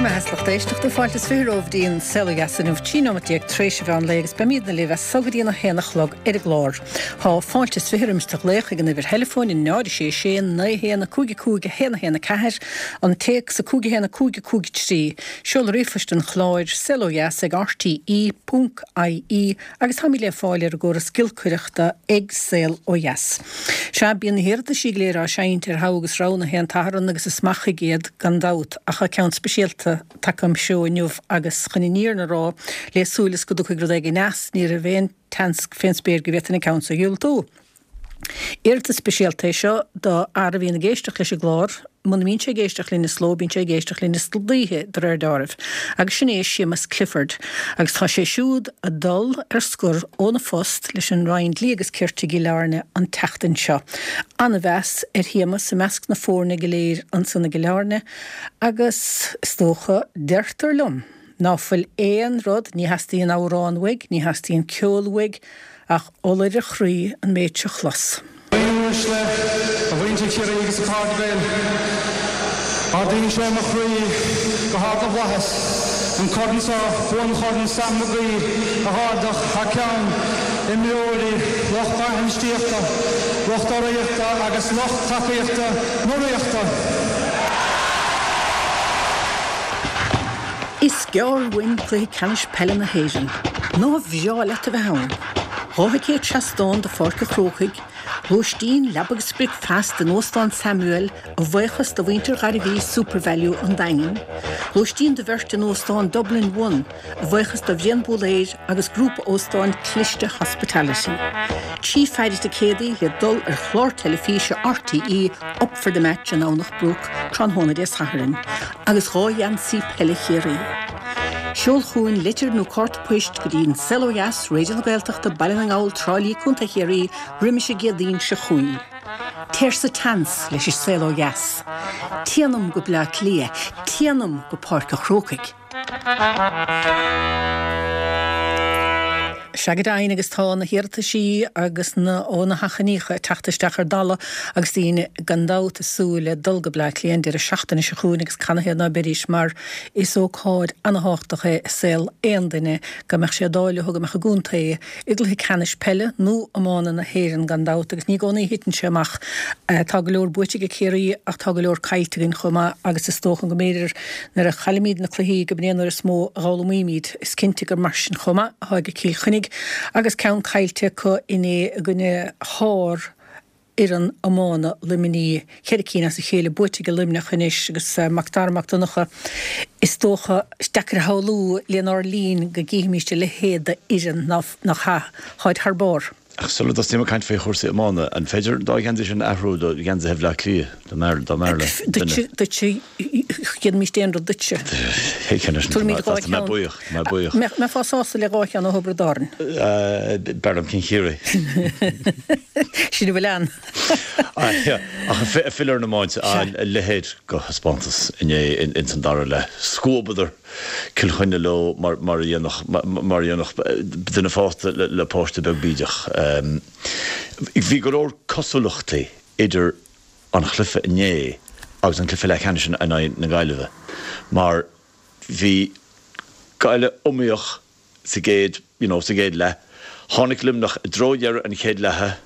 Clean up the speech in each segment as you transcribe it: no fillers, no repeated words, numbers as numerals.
maith a lucht éisteachta, fáilte is 20 romhaibh dtí an Saol Ó Dheas inniu, 13 nóimeat tar éis an mheán lae agus beimídne libh as so go dtí an 1 a chlog ar an gclár. Tá fáilte is 20 roimis do ghlaoch ag an uimhir theileafóin 0 6 6 9 1 5 5 1 1 4, an téacs 5 1 5 5 3, seoladh ríomhphoist an chláir, saolodheas ag rte ponc ie agus táimid le fáil ar an gcóras giolcaireachta ag Saol Ó Dheas. Sea, bíonn na hiarrataisí go léir á seinnt ar thogha agus rogha na haon tSatharn agus is maith chuige iad gan dabht ach tá ceann speisialta tagtha im threo inniu agus chun an fhírinne a rá le súil is go dtiocfaidh rud éigin as, ní raibh aon tseans fén spéir go bhféadfainn an ceann so a dhiúltú. Iarratas speisialta é seo do fhear a bhíonn ag éisteacht leis an gclár, muna mbíonn sé ag éisteacht linn is ló, bíonn sé ag éisteacht linn istoíche, de réir deáraimh, agus sin é Séamus Clifford. Agus tá sé siúd ag dul ar scor óna phost leis an Roinn Dlí agus Cirt i gCill Airne an tseachtain seo. Ana-mheas ar Shéamus i measc na foirne go léir ansan i gCill Airne agus, is dócha, deirtear liom, ná fuil aon rud, ní theastaíonn amhrán uaidh, ní theastaíonn ceol uaidh, Ach ola ar a chroí an méid seo chlos. A dhaoine uaisle, a mhuintir Chiarraí agus a chairde Gael, ardaíonn sé mo chroí go hard na bhflaitheas an corn seo, buanchorn Sam Magee, a dh'ardach thar ceann imreoirí, lucht bainistíochta, lucht urraíochta agus lucht tacaíochta na Ríochta. Is gearr uainn Cluiche Ceannais Peile na hÉireann. Nár bhreá leat a bheith ann? 2 thicéad seastáin do Pháirc an Chrócaigh, lóistín, leaba agus bricfeasta in Óstán Samuel a bhuíochas do mhuintir Ghairbhí Supervalu an Daingin, lóistín do bheirt in Óstán Dublin One a bhuíochas do Bhrian Búlaeir agus Grúpa Óstán Cliste Hospitality. 3 pheidhre ticéadaí le dul ar chlár teilifíse RTÉ Up for the Match i nDomhnach Broc tráthnóna Dé Sathairn. agus 2 gheansaí peile Chiarraí. Seol chugainn litir nó cárta poist go dtí An Saol Ó Dheas, Raidió na Gaeltachta, Baile na nGall, Trá Lí, Co. Chiarraí, roimis an gCéadaoin seo chugainn. Téir sa tseans leis An Saol Ó Dheas. Téanam go Bleá Cliath, téanam go Páirc an Chrócaigh. Sea go deimhin agus tá na hiarrataisí agus na ó na hachainíocha ag teacht isteach ar dalladh agus daoine gan dabht ag súil le dul go Bleá Cliath an deireadh seachtaine seo chugainn agus canathaobh ná beidís mar is ócáid ana-thábhachtach é i saol aon duine go mbeadh sé d'ádh leo go mbeadh a gcontae i gcluiche ceannais peile nó iomána na hÉireann gan dabht agus ní i gcónaí a thiteann sé amach. Tá go leor buaite ag Ciarraí ach tá go leor caillte againn chomh maith agus is dócha go mb'fhéidir nuair a chaillimid na cluichí go b'in é an uair is mó a dh'fhoghlaimímid. Is cinnte gur mar sin chomh maith atá ag Cill Chainnigh agus ceann caillte acu inné i gcoinne shár fhoireann iomána Luimnigh, cheithre cinn as a chéile buaite ag Luimneach anois agus Mac Dara Mac Donncha, is dócha, is deacair a shamhlú lenár linn go gcífimíst a leithéid d'fhoireann, nach ea? Táid thar barr. Ach sula dtosnaím ag caint faoi chúrsaí iomána, an féidir an dá gheansaí sin a athrú do gheansaithe Bhleá Cliath, dá mb'fhearr le duine? Duitse, dhéanfaimíst aon rud duitse. Tabharfaimid 2 cheann. Tá mé buíoch, tá mé buíoch. Mbeifeá sásta le 2 cheann ó Thiobraid Árann? B'fhearr liom cinn Chiarraí. Sin a bhfuil ann. Ach ag filleadh ar an iomáint, a leithéid de thaispeántas inné ins an dara leath. Scuabadar Cill Chainnigh leo mar a dhéanfadh duine fásta le páiste beag bídeach. Bhí go leor cosúlachtaí idir an chluiche inné agus an cluiche leathcheannais in aghaidh na Gaillimhe mar bhí Gaillimh iomaíoch sa gcéad, you know, sa gcéad leath. Tháinig Luimneach i dtreo dheireadh an chéad leatha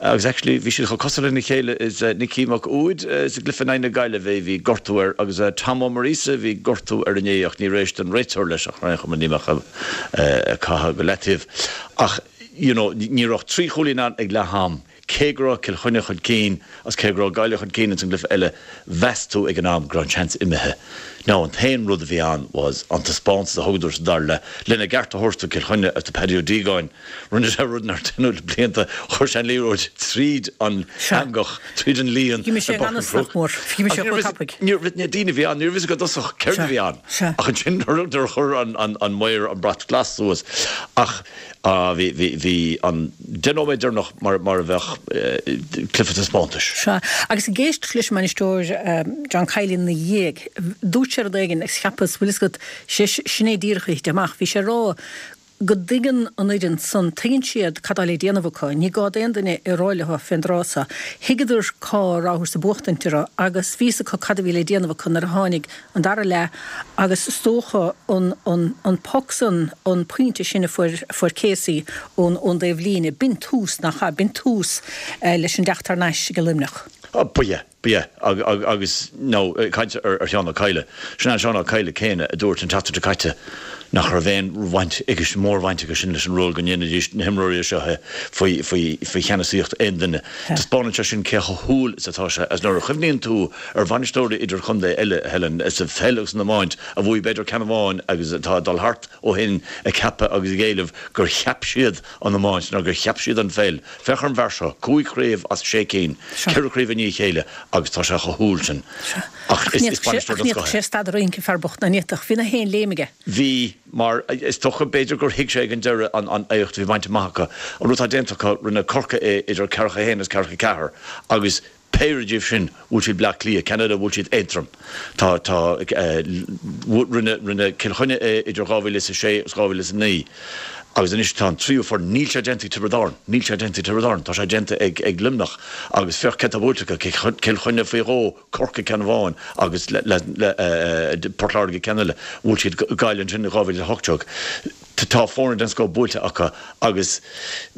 agus actually bhí siad chomh cosúil lena chéile is Nicky Mac Uaid sa gcluiche in aghaidh na Gaillimhe, bhí gortú air agus Tom Ó Muiríosa, bhí gortú air inné ach níor éist an réiteoir leis ach ar aon chuma ní mbeadh ag caitheamh go leataobh. Ach, you know, ní raibh ach trí chúilín ann ag leath am. Cé go raibh Cill Chainnigh chun cinn agus cé go raibh Gaillimh chun cinn ins an gcluiche eile, mheas tú ag an am go raibh an seans imithe. Now an t-aon rud a bhí ann was an taispeántas a thugadar sa dara leath lena gceart a thabhairt do Cill Chainnigh agus do Paddy Ó Díogáin. Rinne sé rud nár deineadh le blianta, chuir sé an liathróid tríd an eangach, tríd an líon i bPáirc an Chrócaigh. Ní raibh na daoine a bhí ann, ní raibh fhios acu i dtosach céard a bhí ann. Ach ansin nuair a chuir an maor an brat glas suas ach Bhí, bhí, bhí an 10 nóiméad deireanach mar, mar a bheadh cluiche taispeántais. Sea, agus ag éisteacht leis an mbainisteoir John Kiely ina dhiaidh, dúirt sé rud éigin agus cheapas, bhfuil fhios agat, sé, sin é díreach a thit amach. Bhí sé ag rá. go dtuigeann an fhoireann san, tuigeann siad cad tá le déanamh acu. Ní gá d'aon duine é a rá leo fén dtráth so. Thuigeadar cá rabhthas ag buachtaint orthu agus bhí fhios acu cad a bhí le déanamh acu nuair a tháinig an dara leath agus is dócha an, an, an poc san, an pointe sin a fuair, a fuair Casey ón, ón dtaobh líne, b'in tús, nach ea, b'in tús leis an dteacht thar n-ais ag Luimneach. Ba ea. Ba ea, agus nó ag caint ar Sheán Ó Cadhla, sin é an Seán Ó Cadhla céanna a dúirt an tseachtain seo caite nach raibh aon bhaint aige, mórbhaint aige sin leis an ról go ndéanfaidís na himreoirí seo é faoi cheannasaíocht aon duine. Taispeánann sé sin cé chomh humhal is atá sé agus nuair a chuimhníonn tú ar bhainisteoirí idirchontae eile, Helen, sa pheil agus san iomáint a bhuaigh b'fhéidir ceann amháin agus atá ag dul thart ó shin ag ceapadh agus ag éileamh gur cheap siad an iomáint nó gur cheap siad an pheil. Féach ar an bhfear seo, cúig chraobh as sé cinn, ceithre chraobh i ndiaidh a chéile agus tá sé chomh humhal sin. Ach is bainisteoir den scoth é. Ach ní fhéadfadh sé stad a rince, an fear bocht, ná ní fhéadfadh. Bhí na haon léim aige. Bhí, mar is dócha, b'fhéidir gur thuig sé ag an deireadh an éacht a bhí bainte amach acu. An rud atá déanta acu, rinne Corcaigh é idir ceathracha a haon agus ceathracha a ceathair agus Péire díobh sin, bhuail siad Bleá Cliath, ceann eile bhuail siad Aontroim. Tá, tá, rinne, rinne Cill Chainnigh é idir 2006 agus 2009 agus anois tá an tríú foireann, níl sé déanta ag Tiobraid Árann, níl sé déanta ag Tiobraid Árann, tá sé déanta ag, ag Luimneach agus féach cé atá buailte acu, Cill Chainnigh faoi dhó, Corcaigh ceann amháin agus le, le, le Port Láirge ceann eile, bhuail siad Gaillimh ansin in 2018. Tá foirne den scoth buailte acu agus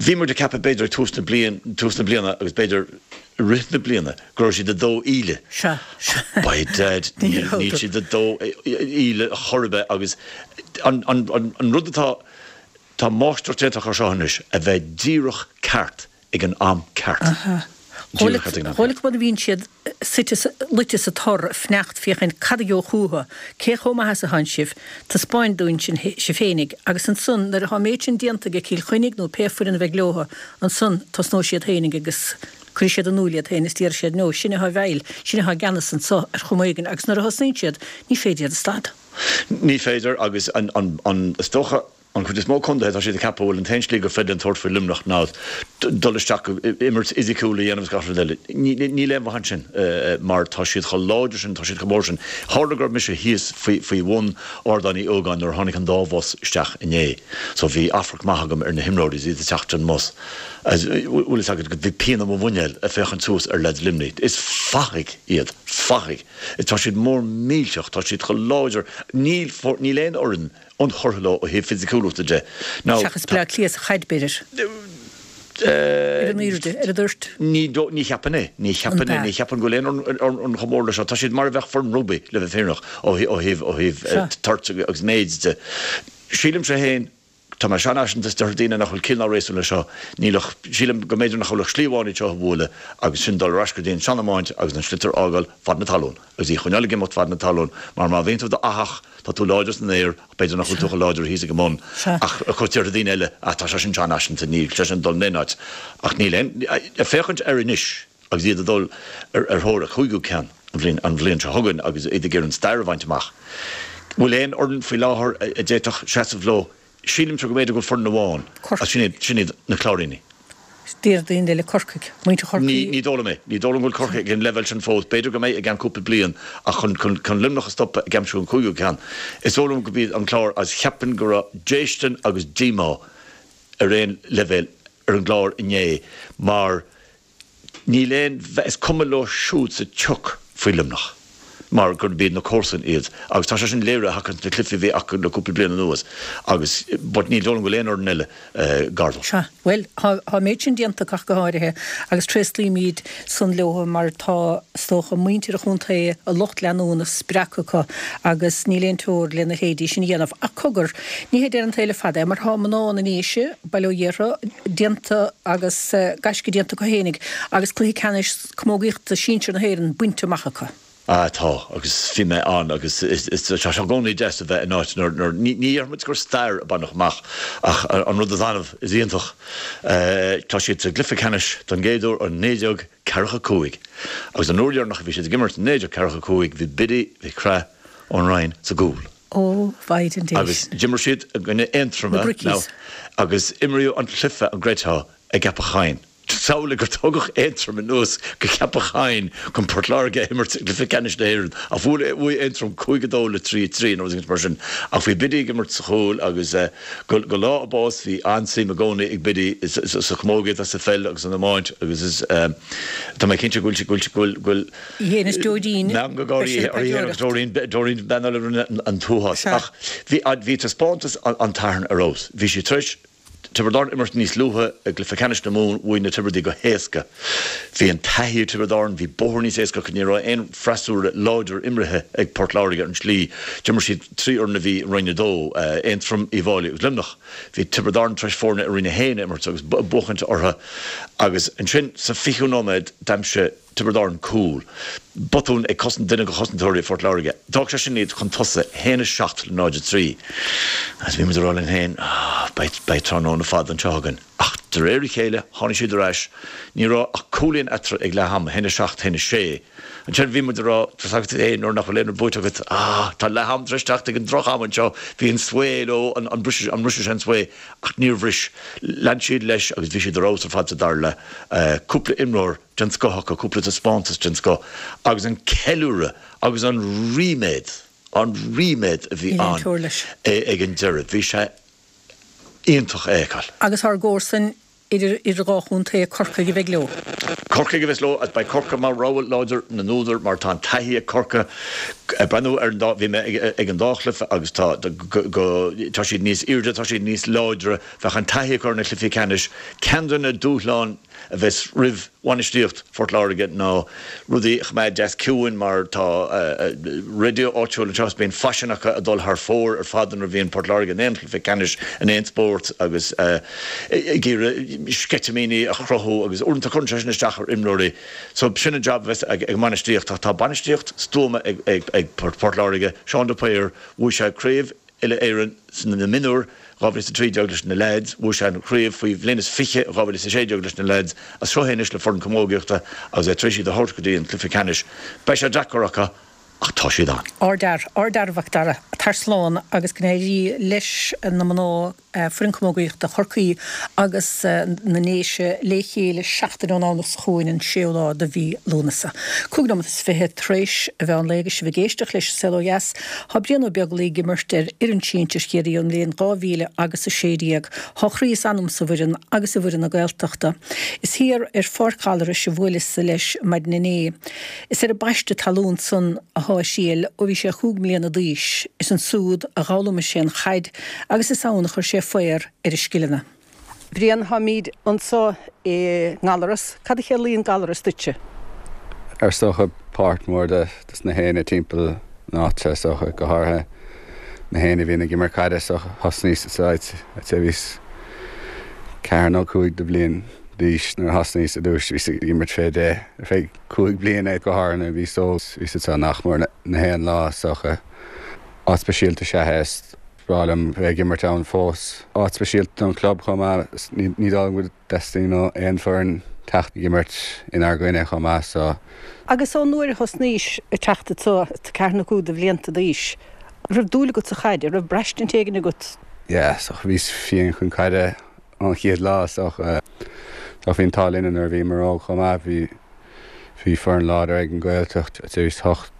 bhí muid ag ceapadh b'fhéidir ag tús na bliain, tús na bliana agus b'fhéidir i rith na bliana go raibh siad ag dó íle. Sea, sea. By dad, níl, níl siad ag dó íle chor ar bith agus an, an, an rud atá, tá máistreacht déanta acu seo anois a bheith díreach ceart ag an am ceart. Aha. Díreach ceart ag an am ceart. Dhóigh a bhíonn siad suite, luite sa tor, ag fanacht féachaint cad a gheobhadh chucu, cé chomh maith is atánn sibh, taispeáin dúinn sin sibh féinig, agus ansan nuair atá an méid sin déanta ag Cill Chainnigh nó pé foireann a bheidh leotha, ansan tosnóidh siad féinig agus cuirfidh siad in iúl iad féin is déarfaidh siad no, sinne atá i bhfeighil, sinne atá i gceannas anso ar chuma éigin agus nuair a thosnaíonn siad ní féidir iad a stad. Ní féidir agus an, an, an, is dócha, An chuid is mó contaetha, tá siad ag ceapadh go bhfuil an t-aon slí gur féidir linn tabhairt faoi Luimneach ná dul isteach, imirt fhisiciúil a dhéanamh is gach rud eile. Níl aon mhaith ansin mar tá siad chomh láidir sin, tá siad chomh mór sin. Tharla go raibh mise thíos faoi bhun Ardán Uí Ógáin nuair a tháinig an dá bhus isteach inné. So bhí amharc maith agam ar na himreoirí is iad ag teacht den mbus. Bhfuil fhios agat, bhí pian i mo mhuinéal ag féachaint suas ar leaids Luimnigh. Is fathaigh iad, fathaigh. Tá siad mór millteach, tá siad chomh láidir. Níl aon fhoireann ionchurtha leo ó thaobh fisiciúlachta de. Now, Seachas Bleá Cliath sa chaid, b'fhéidir. Ar an airde, ar an dtoirt. Ní, ní cheapfainn é. Ní cheapfainn é. Ní cheapfainn go bhfuil aon fhoireann chomh mór leis seo. Tá siad mar a bheadh foireann rugbaí, le bheith fírinneach, ó thaobh, ó thaobh toirt agus méid de. Sílimse féin, tá mé seanfhaiseanta is déarfaidh daoine nach bhfuil ciall ná réasún leis seo, níl ach, sílim go mb'fhéidir nach bhfuil ach slí amháin iad seo a bhualadh agus sin dul ar ais go dtí an sean-iomáint agus an sliotar a fhágáil fad na talún agus í a choinneáil ag imeacht fad na talún mar má bhíonn tú i d'fhathach Tá tú láidir san aer ach b'fhéidir nach bhfuil tú chomh láidir thíos ag an mbun. Ach déarfaidh daoine eile, ah tá sé sin seanfhaiseanta, níl sé sin ag dul in aon áit. Ach níl aon, ag féachaint air anois agus iad ag dul ar thóir a cúigiú ceann an bhliain, an bhliain seo chugainn agus iad ag iarraidh an stair a bhaint amach. Bhfuil aon fhoireann faoi láthair a d'fhéadfadh seasamh leo? Sílimse go mb'fhéidir go bhfuil foireann amháin agus sin iad, sin iad na Cláirínigh. Deir daoine eile Corcaigh, muintir Chorcaí. Ní dóigh liom é. Ní dóigh liom go bhfuil Corcaigh ag an leibhéal sin fós. B'fhéidir go mbeidh i gceann cúpla bliain ach chun, chun, chun Luimneach a stopadh ag aimsiú an cúigiú ceann, is dóigh liom go b'iad an Clár agus cheapfainn go raibh déistin agus díomá ar aon leibhéal ar an gClár inné mar Níl aon, is cuma leo siúd sa tsioc faoi Luimneach mar gurb iad na comharsain iad agus tá sé sin léirithe acu sna cluichí a bhí acu le cúpla bliain anuas agus but ní dóigh liom go bhfuil aon fhoireann eile gar dó. Sea, bhuel, tá an méid sin déanta acu ach go háirithe agus tréaslaímid san leo mar tá, is dócha, muintir an chontae, a lucht leanúna spreagtha acu agus níl aon teora lena leithéidí sin a dhéanamh. Ach cogar, ní hé deireadh an tsaoil le fada é mar tá mná na nDéise, Baile Ó Ghéartha, déanta agus gaisce déanta acu fhéinig agus cluiche ceannais camógaíochta sinsir na hÉireann bainte amach acu. Ah tá, agus bhí mé ann agus is tá sé i gcónaí deas a bheith in áit nuair, nuair, ní, ní dhéarfaidh muid gur stair a baineadh amach ach an rud is annamh is iontach. Tá siad sa gcluiche ceannais don gcéad uair ó 1945 agus an uair dheireanach a bhí siad ag imirt in 1945 bhí Biddy Mhic Craith ón Rinn sa gcúl. Ó, Mhaighdean Dé. Agus d'imir siad i gcoinne Aontroma Na Brickies. agus imríodh an cluiche, an gcreidfeá, i gCeapach Choinn. Samhlaigh gur tugadh Aontroim anuas go Ceapach Choinn chun Port Láirge a imirt i gcluiche ceannais na hÉireann ach bhuaigh Aontroim 5, 2 le 3, 3 nó rud éigin mar sin. Ach bhí Biddy ag imirt sa chúl agus go lá a bás bhí an-suim i gcónaí ag Biddy sa chamógaíocht agus sa pheil agus san iomáint agus is tá mé cinnte go bhfuil go bhfuil go bhfuil Í féin is Doreen, meangadh gáirí beidh siad uirthi féin agus Doreen Doreen bean eile a rinne an t-uafás. Ach bhí bhí taispeántas an tSathairn ar fheabhas. Bhí sí tar éis Tiobraid Árann imirt níos luaithe i gcluiche ceannais na Mumhan, bhuaigh na Tiobradaigh go héasca. Bhí an taithí ag Tiobraid Árann, bhí bóthar níos éasca acu, ní raibh aon freasúra láidir imrithe ag Port Láirge ar an tslí. D'imir siad 3 fhoireann a bhí i Roinn 2, Aontroim, Uíbh Fháilí agus Luimneach. Bhí Tiobraid Árann tar éis foirne i Roinn 1 a imirt agus buachaint orthu agus ansin sa 20ú nóiméad d'aimsigh Tiobraid Árann cúl. Botún ag cosaint duine de chosantóirí Phort Láirge. D'fhág sé sin iad chun tosaigh, 1-7 le 0-3. Agus bhí muid ag rá linn féin, beidh, beidh tráthnóna fada anseo againn. Ach de réir a chéile, tháinig siad ar ais. Ní raibh ach cúilín eatarthu ag leath ama, 1-7, 1-6. Ansin bhí muid ag rá, tá 's agat féin, nuair nach bhfuil aon rud buaite agat, ah, tá leath am tar éis teacht ag an droch-am anseo. Bhí an svae leo, an, an bhrisfidh, an mbrisfidh sé an svae? Ach níor bhris. Lean siad leis agus bhí siad ar fheabhas ar fad sa dara leath. Cúpla imreoir. den scoth acu, cúpla taispeántas den scoth agus an ceiliúradh agus an ríméad, an ríméad a bhí ann ag an deireadh, bhí sé iontach a fheiceáil. Agus ár gcomharsain idir idir dhá chontae, Corcaigh a bheidh leo. Corcaigh a bheas leo agus beidh Corcaigh mar rogha láidir na n-údar mar tá an taithí ag Corcaigh. Ag breathnú ar an dá, bhí mé ag an dá chluiche agus tá, go, tá siad níos airde, tá siad níos láidre, bheadh an taithí acu ar na cluichí ceannais. Ceann de na dúshláin a bheas roimh bhainistíocht Phort Láirge ná rudaí a choimeád deas ciúin mar tá raidió áitiúil anseo is bíonn faisean acu ag dul thar fóir ar fad nuair a bhíonn Port Láirge in aon chluiche ceannais in aon spórt agus ag iarraidh sceitimíní a chruthú agus uaireanta cuireann sé sin isteach ar imreoirí. So sin an jab a bheas ag an mbainistíocht ach tá bainistíocht stuama ag Port Láirge, Seán de Paor, bhuaigh sé craobh Uile-Éireann sna mionúir 2013 leis na leaids, bhuaigh sé an chraobh faoi bhliain is 20 2016 leis na leaids, as seo é anois le foireann camógaíochta agus é tar éis iad a thabhairt go dtí an cluiche ceannais. Beidh sé deacair acu ach tá siad ann. Ardfhear, ardfhear a Mhac Dara. Tar slán agus go n-éirí leis na mná. Foireann Camógaíochta Chorcaí agus na nDéise le chéile seachtain ón nDomhnach seo chugainn, an séú lá de mhí Lúnasa. 25 nóiméad tar éis an mheán lae agus sibh ag éisteacht leis An Saol Ó Dheas. Tá Brian Ó Beaglaoi ag imirt ar fhoireann sinsir Chiarraí ón mbliain 2016. Tá a chroí is anam sa bhfoireann agus i bhfoireann na Gaeltachta. Is thiar ar Pháirc Ghallarais a bhuaileas leis maidin inné. Is ar an bpaiste talún san athá a thriall ó bhí sé chúig mbliana d'aois. Is ansúd a dh'fhoghlaimigh sé an chaid agus is ann a chuir sé faobhar ar a scileanna. Brian, Táimíd anso i nGallaras. Cad a chiallaíonn Gallaras duitse? Is dócha páirt mhór de na héinne timpeall na háite, is dócha, go háirithe na héinne a bhíonn ag imirt caide. So thosnaíos sa áit, I'd say bhíos ceathair nó cúig de bhliain d'aois nuair a thosnaíos i dtús, bhíos ag imirt fé deich ar feadh cúig bliana go háirithe nuair a bhíos óg, bhíos anseo nach mór na haon lá, is dócha. Áit speisialta is ea é. Is breá liom bheith ag imirt ann fós. Áit speisialta don chlub chomh maith. Ní dóigh liom go dteastaíonn ó aon foireann teacht ag imirt inár gcoinne chomh maith so. Agus ón uair a thosnaís ag teacht anso, ceathair nó cúig de bhlianta d'aois, an raibh dúil agat sa chaid? An raibh braistint éigin agat? Yeah, so bhíos fiáin chun caide ón chéad lá so bhí an t-ádh linne nuair a bhíomar óg chomh maith. Bhí bhí foireann láidir ag an Ghaeltacht. Bhíos 8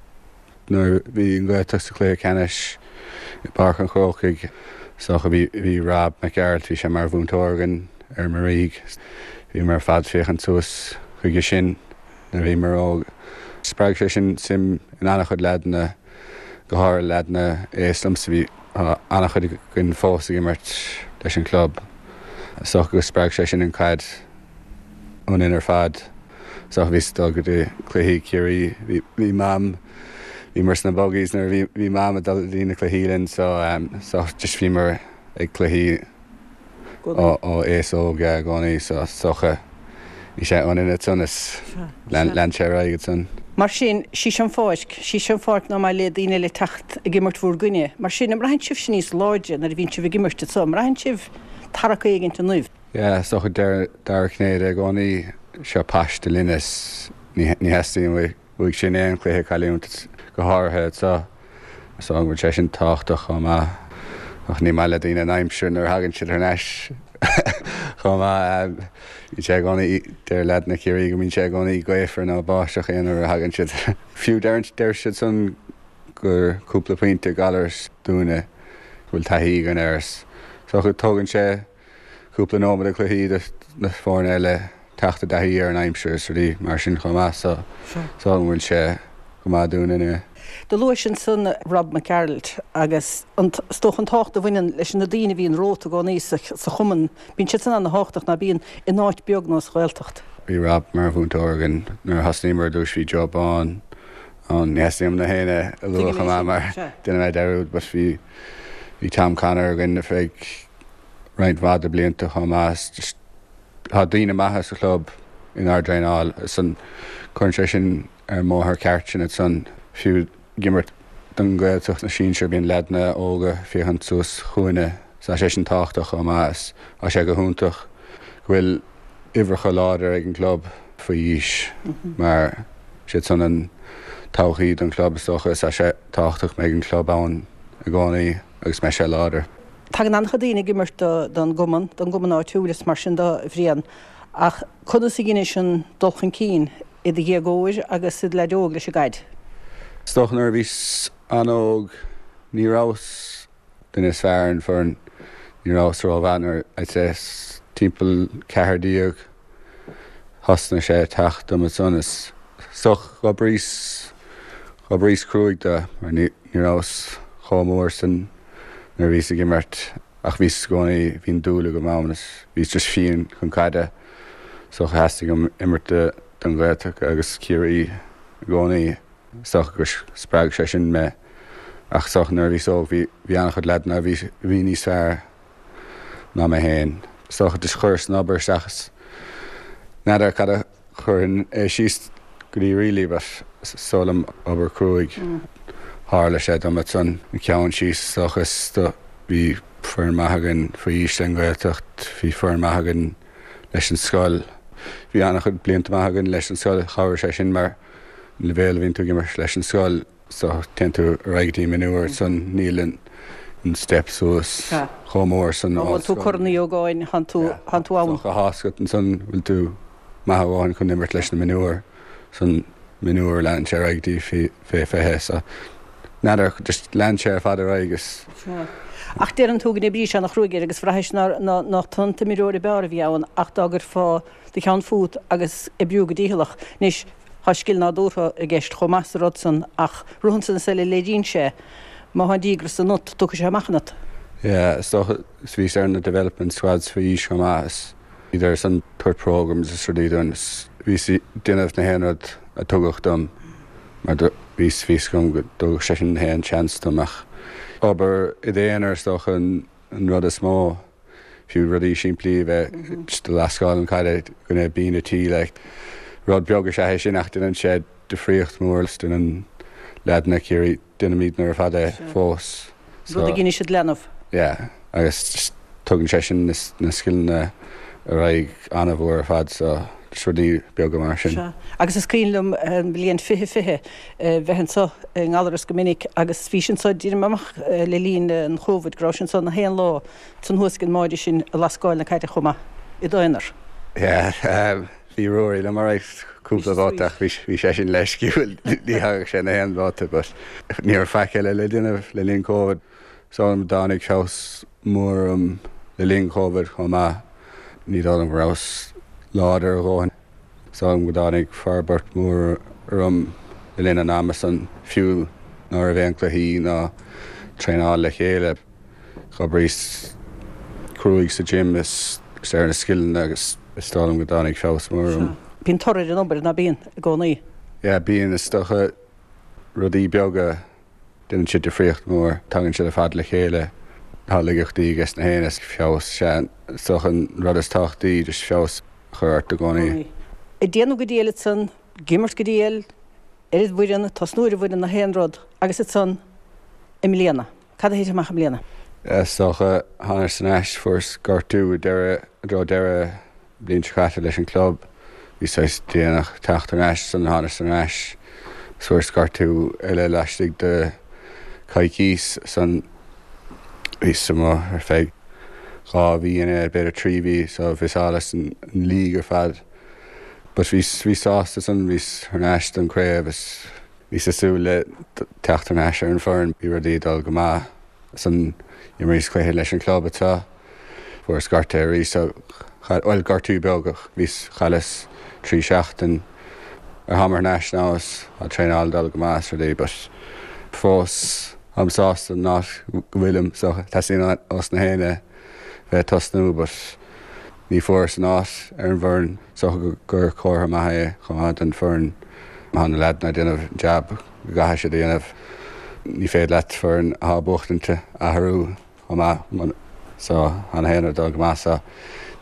Nuair a bhí an Ghaeltacht sa chluiche ceannais i bPáirc an Chrócaigh is dócha bhí bhí Rob Mac Gearailt, bhí sé mar mhúinteoir againn ar an Mhuirígh. Bhíomar ar fad féachaint suas chuige sin nuair a bhíomar óg. Spreag sé sin suim in an-chuid leaideanna, go háirithe leaideanna aos liomsa. Bhí tá an-chuid againn fós ag imirt leis an chlub. Is dócha go spreag sé sin an chaid. ionainn ar fad. So bhíos ag dul go dtí cluichí Ciarraí, bhí bhí Mam, bhíomar sna buggies nuair a bhí bhí Mam ag dul go dtí na cluichí linn so so just bhíomar ag cluichí ó ó aos óg yeah i gcónaí so is dócha bhí sé ionainn ansan is lean lean sé ar aghaidh ansan. Mar sin, sí seo an pháirc, sí seo an pháirc ná maith le daoine eile teacht ag imirt bhúr gcoinne. Mar sin, an mbraitheann sibhse níos láidre nuair a bhíonn sibh ag imirt anso? An mbraitheann sibh tarrac éigint ionaibh? Yeah, is dócha deir Dara Cinnéide i gcónaí, seo paiste linne is ní theastaíonn uaidh sin aon chluiche a chailliúint, go háirithe anseo. Is dócha go bhfuil sé sin tábhachtach chomh maith. Ach ní maith le daoine an aimsir nuair a thagann siad thar n-ais. Chomh maith, bíonn sé i gcónaí, deir leaideanna Chiarraí go mbíonn sé i gcónaí gaofar nó báisteach aon uair a thagann siad. Fiú deir deir siad san gur cúpla pointe Gallaras dúinne go bhfuil taithí againn air. Is dócha tógann sé cúpla nóiméad de chluichí do na foirne eile teacht i dtaithí ar an aimsir is rudaí mar sin chomh maith so is dóigh liom go bhfuil sé go maith dúinn inniu. Do luais ansan Rob McGearailt agus an, is dócha an tábhacht a bhaineann leis na daoine a bhíonn romhat i gcónaí sa chumann. Bíonn siad san ana-thábhachtach, ná bíonn, in áit beag nó sa Ghaeltacht. Bhí Rob mar mhúinteoir againn nuair a thosnaíomar ar dtús, bhí Joe Bán ann, ní theastaíonn uaim na héinne a lua chomh maith mar déanfaidh mé dearúd but bhí, bhí Tom Connor againn ar feadh roinnt mhaith de blianta chomh maith. Just tá daoine maithe sa chlub inár dtraenáil is an cuireann sé sin ar an mbóthar ceart sinn ansan. Fiú ag imirt don Ghaeltacht na sinsir bíonn leaideanna óga ag féachaint suas chugainne so tá sé sin tábhachtach chomh maith is tá sé go hiontach go bhfuil uimhreacha láidir ag an gclub faoi aois mar siad san an todhchaí don chlub is dócha is tá sé tábhachtach go mbeidh an club ann i gcónaí agus mbeidh sé láidir. Tagann an-chuid daoine ag imirt don gcumann, don gcumann áitiúil is mar sin de, a Bhriain, ach conas a dheinis an dul chun cinn i do dhéagóir agus i do leaid óg leis an gcaid? Is dócha nuair a bhíos an-óg ní rabhas duine is fearr ar an bhfoireann, ní rabhas rómhaith nuair, I'd say timpeall 14 thosnaigh sé ag teacht dom ansan is dócha dh'oibríos, dh'oibríos cruaidh do mar ní rabhas chomh mór san nuair a bhíos ag imirt ach bhíos i gcónaí, bhí an dúil agam ann is bhíos just fiáin chun caide so theastaigh uaim imirt don Ghaeltacht agus Ciarraí i gcónaí. Is dócha gur spreag sé sin mé ach is dócha nuair a bhíos óg bhí bhí an-chuid leaideanna a bhí a bhí níos fearr ná mé féin. Is dócha just chuireas an obair isteach is n'fheadar cad a chuirfinn é síos go dtí really but is dóigh liom obair cruaidh. Tharla sé dom ansan an ceann síos is dócha is do bhí foireann maith againn faoi aois den Ghaeltacht, bhí foireann maith againn leis an scoil. Bhí an-chuid blianta maith againn leis an scoil, chabhraigh sé sin mar an leibhéal a bhíonn tú ag imirt leis an scoil so téann tú ar aghaidh go dtí mionúir ansan níl an step suas chomh mór san Má bhuann tú Corn Uí Ógáin thánn tú ann. Tá a fhios agat ansan bhfuil tú maith a dhóthain chun imirt leis na mionúir san mionúir leanann sé ar aghaidh go dtí fé 20 so n'fheadar just lean sé ar fad ar aghaidh is. Ach deireann tú go n-oibrís ana-chruaidh air agus bhraithis nach tú an t-imreoir ab fhearr a bhí ann ach dá gcuirfeá do cheann fút agus oibriú go dícheallach. Anois, tá scil nádúrtha i gceist chomh maith sa rud san ach rud ansan is eile léiríonn sé má tá an díogras ionat, tiocfaidh sé amach ionat. Yeah, is dócha, is bhíos ar na development squads faoi aois chomh maith is bhíodar ansan tabhairt programmes is rudaí dúinn is bhíos ag déanamh na haon rud a tugadh dom mar do bhí a fhios agam go dtugadh sé sin na haon chance dom ach obair i d'aonar is dócha an rud is mó. Fiú rudaí simplí a bheith just ag lascáil an caide i gcoinne binn an tí like. Rud beag is ea é sin ach déanann sé difríocht mhór is déanann leaideanna Ciarraí, déanaimidne ar fad é fós. So. Rud a dheinis id leanbh. Yeah agus just tugann sé sin na scileanna ar aghaidh an-mhór ar fad so just rudaí beaga mar sin. Sea. Agus is cuimhin liom an bhliain 2020 bheith anseo i nGallaras go minic agus bhís anseo deirim amach le linn an Chóvid go rabhais anseo na haon lá ansan thuas ag an mbáide sin ag lascáil na caide chomh maith, i d'aonar. Yeah, bhí Ruairí liom alright cúpla babhta ach bhí sé sin leisciúil, ní thagadh sé na haon bhabhta but ní raibh faic eile le déanamh le linn Covid. So tháinig feabhas mór orm le linn Covid chomh maith, ní dóigh liom go rabhas láidir a dhóthain. Is dóigh liom go dtáinig forbairt mhór orm le linn an ama san, fiú ná raibh aon cluichí ná traenáil le chéile. Dh'oibríos cruaidh sa gym is ar na scileanna agus is dóigh liom go dtáinig feabhas mór orm. Bíonn toradh ar an obair, ná bíonn, i gcónaí? Yeah, bíonn. Is dócha rudaí beaga, déanann siad difríocht mhór. Tagann siad ar fad le chéile. Tá laigeachtaí ages na héinne is feabhas, sea, is dócha an rud is tábhachtaí, just feabhas a chur ort i gcónaí. Ag déanamh go diail ansan, ag imirt go diail, ar an bhfoireann, tosnú ar an bhfoireann, na haon rud, agus ansan i mbliana. Cad a thit amach i mbliana? Is dócha, thánas thar n-ais, fuaireas gortú i deireadh, i dtreo deireadh an bhliain seo caite leis an club. Bhí saghas déanach teacht thar n-ais, ansan thánas thar n-ais is fuaireas gortú eile laistigh de coicís, ansan bhíos amuigh ar feadh. 2 mhí inné, b'fhéidir 3 mhí, so bhíos as an league ar fad. But bhíos, bhíos sásta san, bhíos thar n-ais don craobh is bhíos ag súil le teacht thar n-ais ar an foireann. Bhí rudaí ag dul go maith san, d'imríos cluiche leis an club anseo, fuaireas gortú arís so, bhuel gortú beag ach bhíos, chailleas 3 seachtain. Ar tháim thar n-ais now is tá traenáil ag dul go maith is rudaí but fós táim sásta an áit go bhfuilim so teastaíonn ós na héinne bheith ag tosnú but ní fuaireas an áit ar an bhfoireann so gur comhartha maith é chomh maith don foireann tá na leaideanna ag déanamh an jab go gcaithfidh siad a dhéanamh ní féidir leat foireann atá buachtaint a athrú chomh maith so tá na héinne ag dul go maith so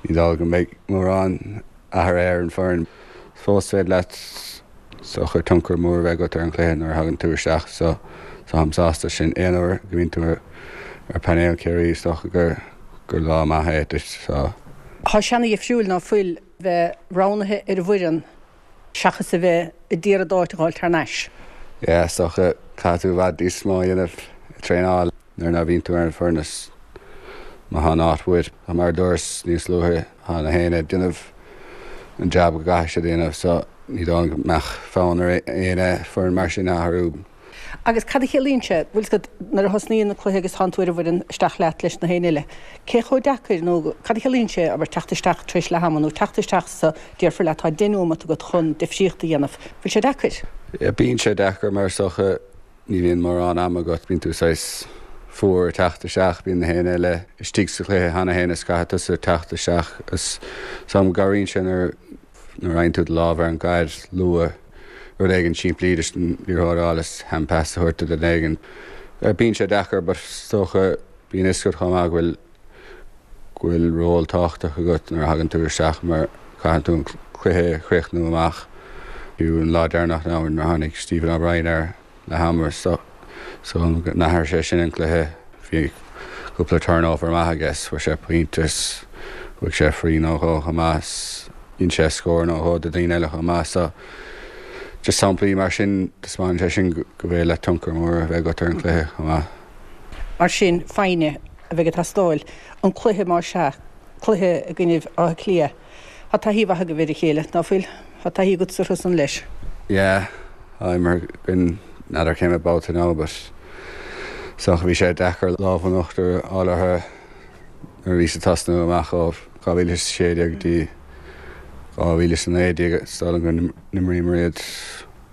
ní dóigh go mbeidh mórán athruithe ar an foireann. Fós féidir leat is dócha tionchar mór a bheith agat ar an chluiche nuair a thagann tú isteach so táim sásta sin. Aon uair go mbíonn tú ar painéal Ciarraí is dócha gur gur lá maith é duit so. Tá sé ana-dhifriúil ná fuil bheith roghnaithe ar an bhfoireann seachas a bheith a d'iarraidh d'áit a dh'fháilt thar n-ais. Yeah is dócha caithfidh tú i bhfad níos mó a dhéanamh ag traenáil. Nuair ná bhíonn tú ar an bhfoireann is má thá an áit uait. Mar a dúras níos luaithe thá na héinne ag déanamh an jab go gcaithfidh siad a dhéanamh so ní dóigh liom go mbeadh fonn ar éinne foireann mar sin a athrú. Agus cad a chiallaíonn sé, bhfuil 's agat, nuair a thosnaíonn an cluiche agus tánn tú ar an bhfoireann isteach leat leis na héinne eile, cé chomh deacair nó cad a chiallaíonn sé, abair, teacht isteach tar éis leath ama nó teacht isteach sa, déarfar leat tá deich nóimeat agat chun difríocht a dhéanamh, bhfuil sé deacair? Yeah, bíonn sé deacair mar is dócha Ní bhíonn mórán ama agat, bíonn tú saghas fuar ag teacht isteach, bíonn na héinne eile istigh sa chluiche cheana féin is caithfidh tusa teacht isteach is so cabhraíonn sé nuair nuair a fhaigheann tú do lámh ar an gcaid luath, rud éigin simplí just an liathróid a fháil is hand pass a thabhairt do duine éigin. Bíonn sé deacair but is dócha bíonn fhios agat chomh maith go bhfuil go bhfuil ról tábhachtach agat nuair a thagann tú isteach mar caitheann tú an cluiche a chríochnú amach. Fiú an lá deireanach now nuair a tháinig Stephen O'Brien ar leath ama so go n-athraigh sé sin an cluiche. Bhí cúpla turnover maith aige is fuair sé pointe is bhuaigh sé free nó dhó chomh maith is dhein sé scór nó dhó do daoine eile chomh maith so just samplaí mar sin taispeánann sé sin go bhféidir leat tionchar mór a bheith agat ar an chluiche chomh maith. Mar sin, foighne a bheidh ag teastáil. An cluiche, más ea, cluiche i gcoinnibh Átha Cliath. Tá taithí mhaith agaibh ar a chéile, ná fuil? Tá taithí agatsa orthu san leis. Yeah, tá imeartha againn, n'fheadar cé mhéad babhta now but is dócha bhí sé deacair lámh in uachtar a fháil orthu nuair a bhíos ag tosnú amach ó 2016 go dtí 2019, is dóigh liom go n-imríomar iad.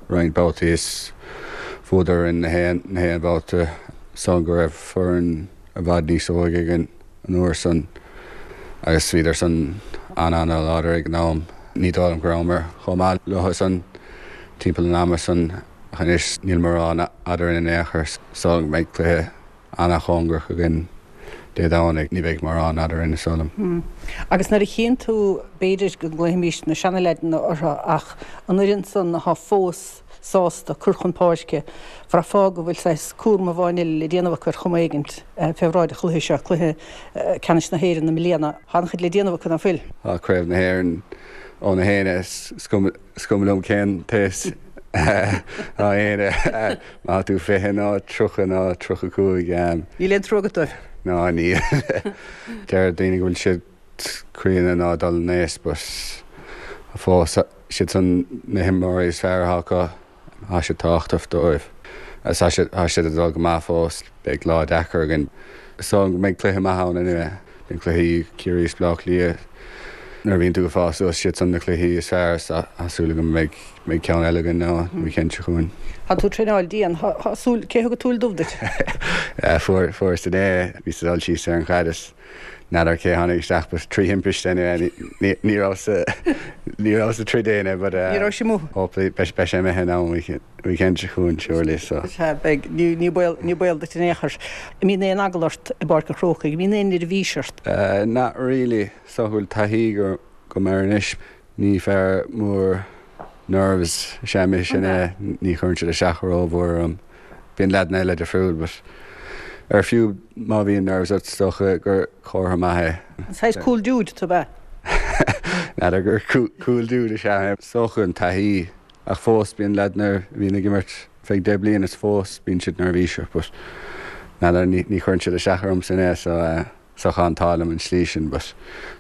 roinnt babhtaí is bhuadar orainn na haon na haon bhabhta san go raibh foireann i bhfad níos óige againn an uair san agus bhíodar san an-an-láidir ag an am. Ní dóigh liom go rabhamar chomh maith leo san timpeall an ama san ach anois níl mórán eadrainn in aon chor so go mbeidh cluiche ana-chóngarach againn Dé Domhnaigh. Ní bheidh mórán eadrainn, is dóigh liom. Agus nuair a chíonn tú, b'fhéidir go nglaofaimís na seanaleaideanna orthu ach an fhoireann san athá fós sásta cur chun páirce, bhraithfeá go bhfuil saghas cúram amháin eile le déanamh acu ar chuma éigint fé bhráid an chluiche seo, cluiche ceannais na hÉireann i mbliana. Tá an-chuid le déanamh acu, ná fuil? Tá Craobh na hÉireann ó na héinne, is cuma. Is cuma liom cén t-aois atá éinne, má tá tú 20 nó 30 nó 35. Níl aon trua agat dóibh? Ná níl. Deir daoine go bhfuil siad críonna nó ag dul in aois but fós siad san na himreoirí is fearr atá acu. Tá siad tábhachtach dóibh agus tá siad tá siad ag dul go maith fós. Beidh lá deacair againn. Is dóigh go mbeidh cluiche maith ann anyway. Bíonn cluichí Ciarraí is Bleá Cliath nuair a bhíonn tú ag fás suas, siad san na cluichí is fearr is tá súil agam go mbeidh mbeidh ceann eile againn now an weekend seo chugainn. Tá tú ag traenáil dian. Tá súil, cé thug an tsúil dubh duit? Fuair fuaireas inné, bhíos ag dul síos ar an chaid is N'fheadar cé tháinig isteach but trí thimpiste anyway ní ní raibh sa ní raibh sa troid éinne but Ní raibh sé amuigh. hopefully beidh beidh sé imithe now an weekend weekend seo chugainn surely so. Sea beidh ní ní baol ní baol duit in aon chor. An mbíonn aon eagla ort i bPáirc an Chrócaigh? An mbíonn aon neirbhís ort? Not really. Is dócha go bhfuil taithí agam air anois. Ní fear mór nerves is ea mise, ní chuireann siad isteach rómhór orm. Bíonn leaideanna eile difriúil but ar fiú má bhíonn nerves ort is dócha gur comhartha maith é. An saghas cool dude tú ab ea? N'fheadar gur cool dude is ea mé. Is dócha an taithí ach fós bíonn leaideanna a bhíonn ag imirt feadh 10 bliain is fós bíonn siad neirbhíseach but n'fheadar ní chuireann siad isteach ormsa so. So tá an t-ádh liom an slí sin but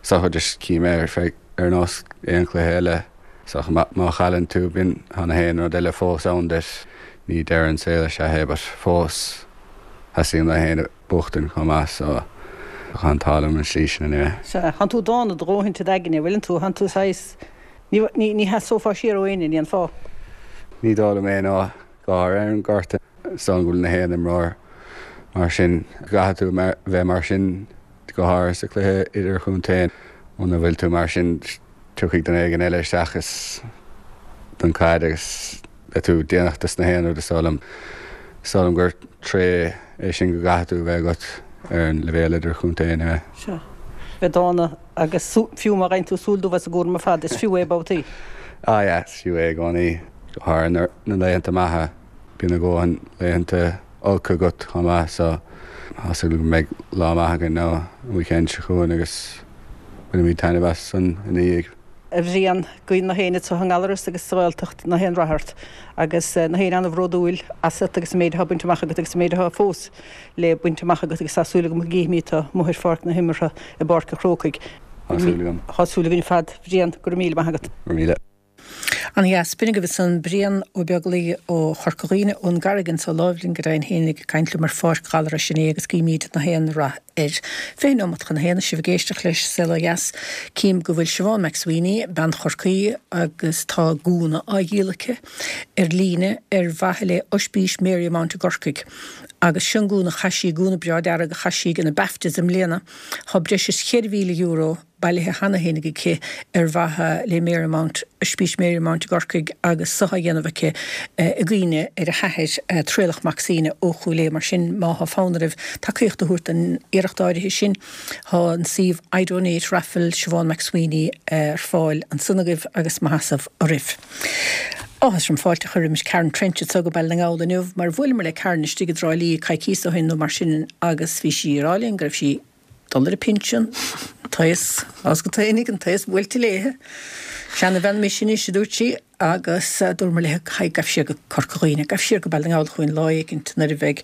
is dócha just cím é ar feadh ar nós aon chluiche eile. Is dócha má chailleann tú bíonn tá na haon rud eile fós ann duit. Ní deireadh an saol is ea é but fós theastaíonn le haon buachtaint chomh maith so tá an t-ádh liom an slí sin anyway. Sea, thánn tú dána do dhóthain i d'aigne, bhfuileann tú, thánn tú saghas, ní, ní, ní sheasófá siar ó éinne, ní an fáth. Ní dóigh liom é no, go háirithe ar an ngort. Is dóigh liom go bhfuil na haon imreoir mar sin. Caithfidh tú bheith mar sin go háirithe sa chluiche idirchontae. Muna bhfuil tú mar sin tiocfaidh duine éigin eile isteach is don chaid agus beidh tú déanach dos na haon rud is dóigh liom. Is dóigh liom gur tréith é sin go gcaithfidh tú bheith agat ar an leibhéal idirchontae anyway. Sea. Bheith dána agus fiú má gheibheann tú súil dubh as an gcúram ar fad is fiú é babhtaí. Ah yeah, is fiú é i gcónaí, go háirithe na laethanta maithe. Bíonn a dhóthain laethanta olca agat chomh maith so tá súil agam go mbeidh lá maith againn an weekend seo chugainn agus bainfimid taitneamh as san ina dhiaidh. A Bhriain, guíonn na héinne anseo i nGallaras agus sa Ghaeltacht na haon rath ort agus na héinne an-bhródúil asat agus an méid atá bainte amach agat agus an méid atá fós le baint amach agat agus tá súil agam go gcífimid tú amuigh ar pháirc na himeartha i bPáirc an Chrócaigh. Tá súil agam. Tá súil againn ar fad. Bhriain, go raibh míle maith agat. Go raibh míle. An-dheas. B'in agaibh ansan Brian Ó Beaglaoi ó Chorca Dhuibhne, ón gCarraig anso láimh linn go deimhin féin ag caint liom ar Pháirc Ghallarais inné agus guímíd na haon rath air. 20 nóimeat chun a haon is sibh ag éisteacht leis Saol Ó Dheas. Cím go bhfuil Siobhán McSweeney, bean Chorcaí agus tá gúna á dhíol aici ar líne ar mhaithe le Oispís Marymount i gCorcaigh. Agus seo an gúna a chaith sí, gúna breá dearg a chaith sí ag na BAFTAs i mbliana. Tá breis is €4,000 bailithe cheana féinig aici ar mhaithe le Marymount, Oispís Marymount i gCorcaigh agus so á dhéanamh aici i gcuimhne ar a hathair, Traolach Mac Suibhne ó Chúil Aodha. Mar sin, má thá fonn oraibh tacaíocht a thabhairt don iarracht áirithe sin, thá an suíomh iDonate Raffle Siobhán McSweeney ar fáil ansan agaibh agus mo sheasamh oraibh. Áthas orm fáilte a chur roimis Karen Trench anso go Baile na nGall inniu mar bhuaileamar le Karen istigh i dTrá Lí coicíos ó shin nó mar sin agus bhí sí ag rá linn go raibh sí Dul ar an pinsean, an t-aos, as go taoinig, an t-aos buailte léithe. Seanabhean mise anois, a dúirt sí, agus dúramar léithe, haigh, gabh siar go Corca Dhuibhne, gabh siar go Baile na nGall chugainn lá éicint nuair a bheidh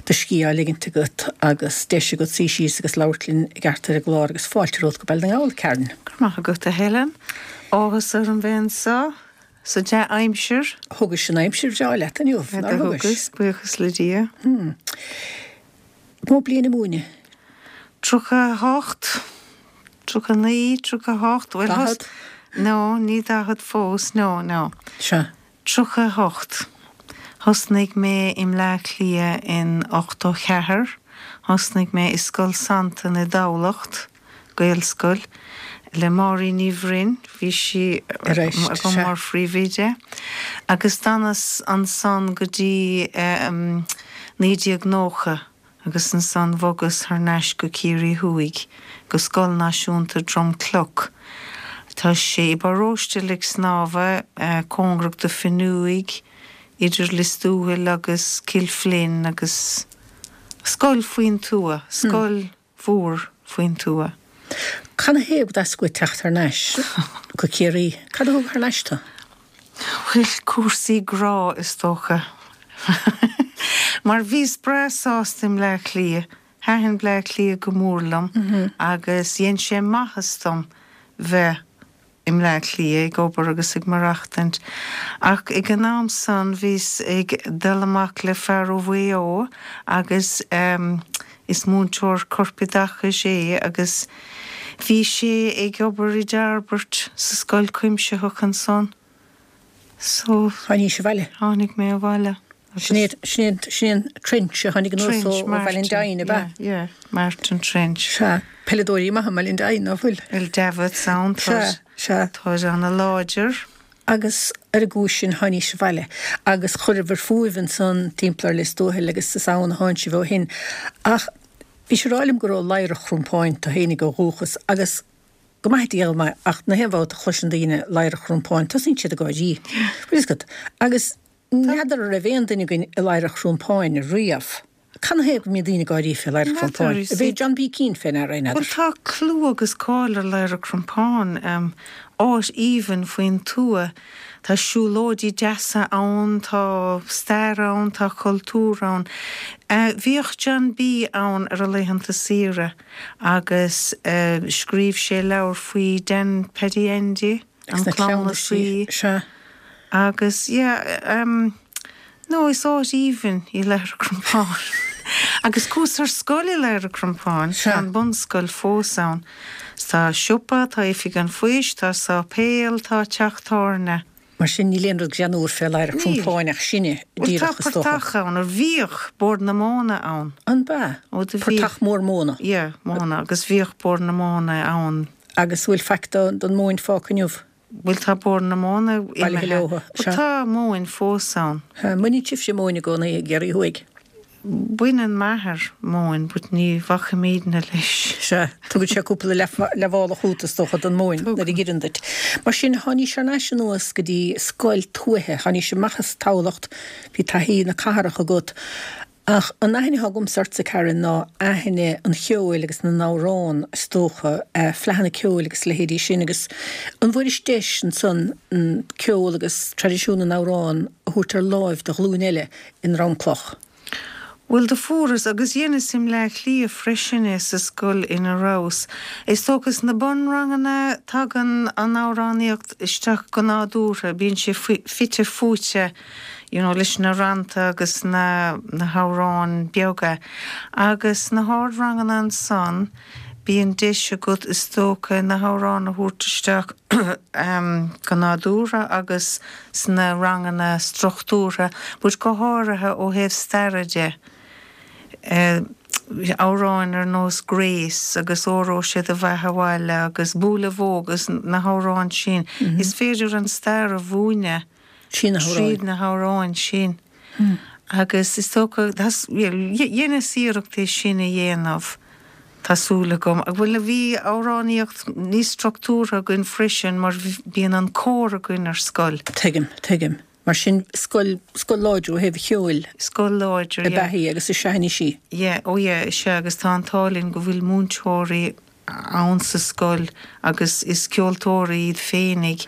do scíth á ligint agat agus deis agat suí síos agus labhairt linn i gceart ar an gclár agus fáilte romhat go Baile na nGall, Karen. Go raibh maith agat, a Helen. Áthas orm bheith anseo sa dea-aimsir. Thugais an aimsir bhreá leat inniu, nár thugais? Thugas, buíochas le Dia. Mó bliain ag múineadh? 38, 39, 38, bhuel thos. 40? No, ní 40 fós, no, no. Sea. 38. Thosnaigh mé i mBleá Cliath in 84, thosnaigh mé i Scoil Santain i dTamhlacht, Gaelscoil, le Máirín Ní Bhroin, bhí sí agam mar phríomhoide, agus d'fhanas ansan go dtí 1990 agus ansan bhogas thar n-ais go Ciarraí Thuaidh, go Scoil Náisiúnta Drom Cloch. Tá sé i bparóiste Leic Snámha, cóngarach do Fionnuaidh, idir Lios Tuathail agus Cill Fhloinn agus scoil faoin tuath, scoil. mhór faoin tuath. Canathaobh go dteastaigh uait teacht thar n-ais go Ciarraí? Cad a thug thar n-ais tú? Bhuel, cúrsaí grá, is dócha. Mar bhíos breá sásta i mBleá Cliath. Thaitin Bleá Cliath go mór liom agus dhein sé maitheas dom bheith i mBleá Cliath ag obair agus ag maireachtaint. Ach ag an am san bhíos ag dul amach le fear ó Mhaigh Eo agus is múinteoir corpoideachais é agus bhí sé ag obair i dTairbeart sa scoil chuimsitheach ansan. So. Tháinís abhaile. Tháinig mé abhaile. Sin é, sin é, sin é an Trench a tháinig anuas ó Ballindine, ab ea? Yeah, Martin Trench. Sea, peileadóirí maithe i mBallindine, ná fuil? Bhuel, Davitts ann, tá, Sea, sea. táid ana-láidir. Agus ar an gcúis sin tháinís abhaile agus chuireabhair fúibh ansan timpeall ar Lios Tuathail agus is ann a thánn sibh ó shin. Ach bhís ag rá liom gur ó Ladhar an Chrompáin tú fhéinig ó dhúchas agus Go maithe Dia go maith, ach na haon bhabhta a chloiseann daoine Ladhar an Chrompáin, tosaíonn siad ag gáirí. Bhfuil fhios agat? Agus n'fheadar an raibh aon duine againn i Ladhar an Chrompáin riamh. Canathaobh go mbíonn daoine ag gáirí fé Ladhar an Chrompáin? Ab é John B. Keane fé ndeara é, n'fheadar? Bhuel, tá clú agus cáil ar Ladhar an Chrompáin. áit aoibhinn faoin tuath. Tá siúlóidí deasa ann, tá stair ann, tá cultúr ann. Bhíodh John B ann ar a laethanta saoire agus scríobh sé leabhar faoi Dan Paddy Andy, an cleamhnasaí. Agus yeah, no, is áit aoibhinn í Lathair an Chrompáin. Agus chuas ar scoil i Lathair an Chrompáin, tá an bunscoil fós ann. Tá siopa, tá oifig an phoist, tá sáipéal, tá teach tábhairne. Mar sin, níl aon rud greannúr fé Lathair an Chrompáin ach sinne, Bhuel, tá díreach, is dócha. portach ann, or bhíodh Bord na Móna ann. An b'ea? Ó, do bhíodh. Portach mór móna. Yeah, móna, agus bhíodh Bord na Móna ann. Agus bhfuil faic don mhóin fágtha inniu? Bhuel tá Bord na Móna imithe. But tá móin fós ann. An mbaineann sibhse móin i gcónaí i gCiarraí Thuaidh? Baineann m'athair móin but ní bhacaimídne leis. Sea, tugann sé cúpla leathmhála chugat is dócha don mhóin nuair a dh'iarrann duit. Mar sin, tháinís thar n-ais anuas go dtí scoil tuaithe, tháinís amach as Tamhlacht, bhí taithí na cathrach agat. Ach an aithne atá agamsa ortsa, Karen, ná aithne an cheoil agus na n-amhrán, is dócha, fleadhanna ceoil agus a leithéidí sin. Agus an bhfuairis deis ansan an ceol agus traidisiún na n-amhrán a thabhairt ar láimh do ghlúin eile i nDromcloch? Bhuel, do fuaireas, agus dheineas i mBleá Cliath freisin é, sa scoil ina rabhas. Is dócha sna bunranganna tagann an amhránaíocht isteach go nádúrtha, bíonn sé fite fuaite. you know leis na rannta agus na na hamhráin beaga. Agus sna hardranganna ansan bíonn deis agat is dócha na hamhráin a thabhairt isteach go nádúrtha agus sna ranganna struchtúrtha but go háirithe ó thaobh staire de. Amhráin ar nós Grace agus Óró Sé do Bheatha Abhaile agus Buaile Bhó agus na hamhráin sin. Is féidir an stair a mhúineadh. Tríd na hamhráin sin. Agus is dócha, dheineas iarracht é sin a dhéanamh, tá súil agam. Bhuel, bhí amhránaíocht níos struchtúrtha againn freisin mar bíonn an cór againn ar scoil. Tuigim, tuigim. Mar sin, scoil, scoil láidir ó thaobh an cheoil. Scoil láidir, yeah. Ab ea í agus is ea anois í. Yeah, oh yeah, is ea agus tá an t-ádh linn go bhfuil múinteoirí ann sa scoil agus is ceoltóirí iad féinig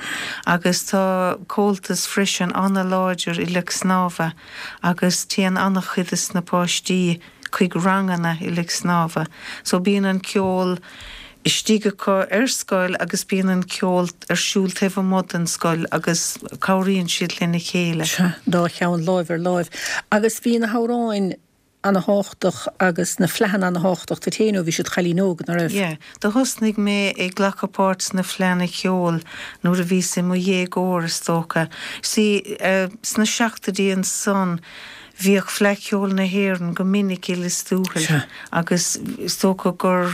agus tá Comhaltas freisin ana-láidir i Leic Snámha agus téann ana-chuid de na páistí chuig ranganna i Leic Snámha so bíonn an ceol istigh acu ar scoil agus bíonn an ceol ar siúl taobh amuigh den scoil agus cabhraíonn siad lena chéile. Sea, dá cheann láimh ar láimh. Agus bhí na hamhráin ana-thábhachtach agus na fleadhanna ana-thábhachtach duit féin ó bhís i do chailín óg, ná raibh? Yeah. Do thosnaigh mé ag glacadh páirt sna fleadhanna ceoil nuair a bhíos i mo dhéagóir is dócha. See, sna seachtoidí ansan bhíodh Fleadh Cheoil na hÉireann go minic i Lios Tuathail agus is dócha gur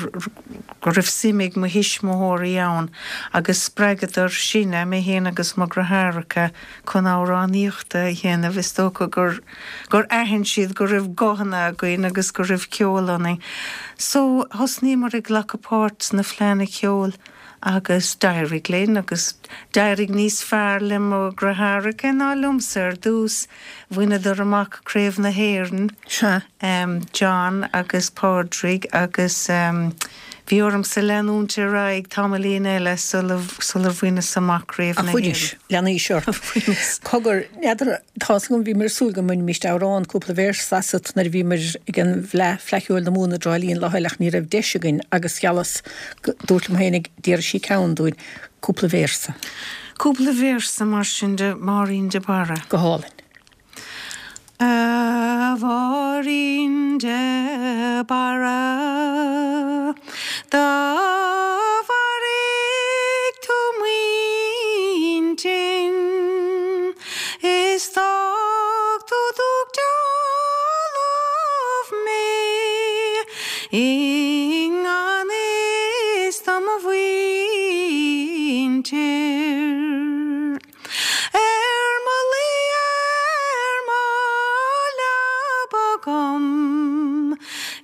go raibh suim ag mo thuismitheoirí ann agus spreagadar sinne, mé féin agus mo dheartháireacha, chun amhránaíochta a dhéanamh. Is dócha gur gur aithin siad go raibh guthanna againn agus go raibh ceol ionainn. So, thosnaíomar ag glacadh páirt sna fleadhanna ceoil agus d'éirigh linn agus d'éirigh níos fearr le mo dheartháireacha ná liomsa ar dtús. Bhaineadar amach Craobh na hÉireann, John agus Pádraig agus bhí ormsa leanúint ar aghaidh tamaillín eile sular bhaineas amach Craobh na hÉireann. Ach bhainis, leanaís ort. Bhaineas. Cogar, n'fheadar, tá's agam, bhíomar ag súil go mbainfimíst amhrán, cúpla véarsa asat nuair a bhíomar ag an bhFleadh, Fleadh Cheoil na Mumhan i dTrá Lí an lá eile ach ní raibh deis againn agus gheallas, dúirt liom féinig, déarfaidh sí ceann dúinn, cúpla véarsa. Cúpla véarsa mar sin de Máirín de Barra. Go hálainn. A Mháirín de Barra, do mharaigh tú m'intinn, is d'fhág tú dubh dealbh mé i ngan fhios do mo mhuintir. Ar mo luí ar mo leaba agam,